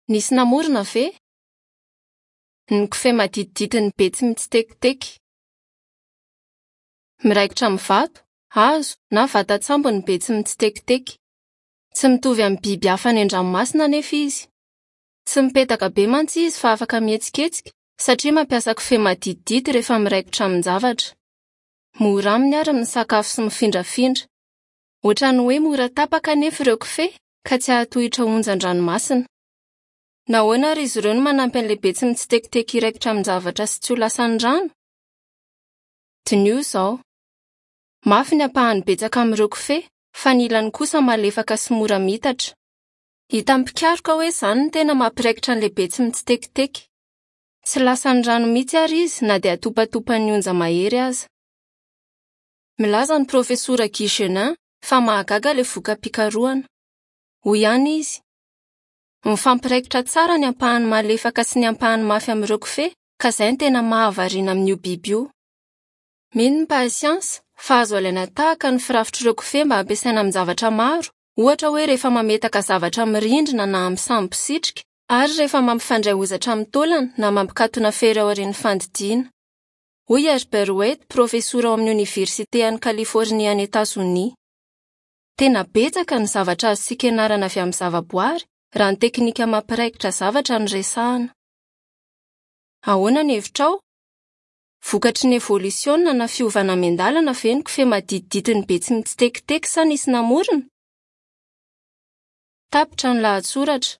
Nisy namorona ve? Ny kofehy maditidity ny Betsimitsitekiteky. Miraikitra amin'ny vato, hazo na vatan-tsambo ny Betsimitsitekiteky. Tsy mitovy amin'ny biby hafa any an-dranomasina anefa izy. Tsy mipetaka be mantsy izy fa afaka mihetsiketsika satria mampiasa kofehy maditidity rehefa miraikitra amin-javatra. Mora aminy àry ny misakafo sy mifindrafindra. Hoatran'ny hoe mora tapaka anefa ireo kofehy ka tsy hahatohitra onjan-dranomasina. Nahoana àry izy ireo no manampy an'ilay Betsimitsitekiteky hiraikitra amin-javatra sy tsy ho lasan'ny rano? Diniho izao. Mafy ny ampahany betsaka amin'ireo kofehy, fa ny ilany kosa malefaka sy mora miitatra. Hitan'ny mpikaroka hoe izany no tena mampiraikitra an'ilay Betsimitsitekiteky. Tsy lasan'ny rano mihitsy àry izy na dia atopatopan'ny onja mahery aza. Milaza ny Profesora Guy Genin fa mahagaga ilay voka-pikarohana. Hoy ihany izy, Mifampiraikitra tsara ny ampahany malefaka sy ny ampahany mafy amin'ireo kofehy, ka izay no tena mahavariana amin'io biby io. Mino ny mpahay siansa fa azo alaina tahaka ny firafitr'ireo kofehy mba hampiasaina amin-javatra maro, ohatra hoe rehefa mametaka zavatra amin'ny rindrina na amin'ny sambo mpisitrika, ary rehefa mampifandray hozatra amin'ny taolana na mampikatona fery aorian'ny fandidiana. Hoy Herbert Waite, profesora ao amin'ny Oniversite any Kalifornia any Etazonia. Tena betsaka ny zavatra azontsika ianarana avy amin'ny zavaboary, raha ny teknika mampiraikitra zavatra no resahina. Ahoana ny hevitrao? Vokatry ny evolisiona na fiovana miandalana ve ny kofehy maditidity be tsy mitsitekiteky sa nisy namorona? Tapitra ny lahatsoratra.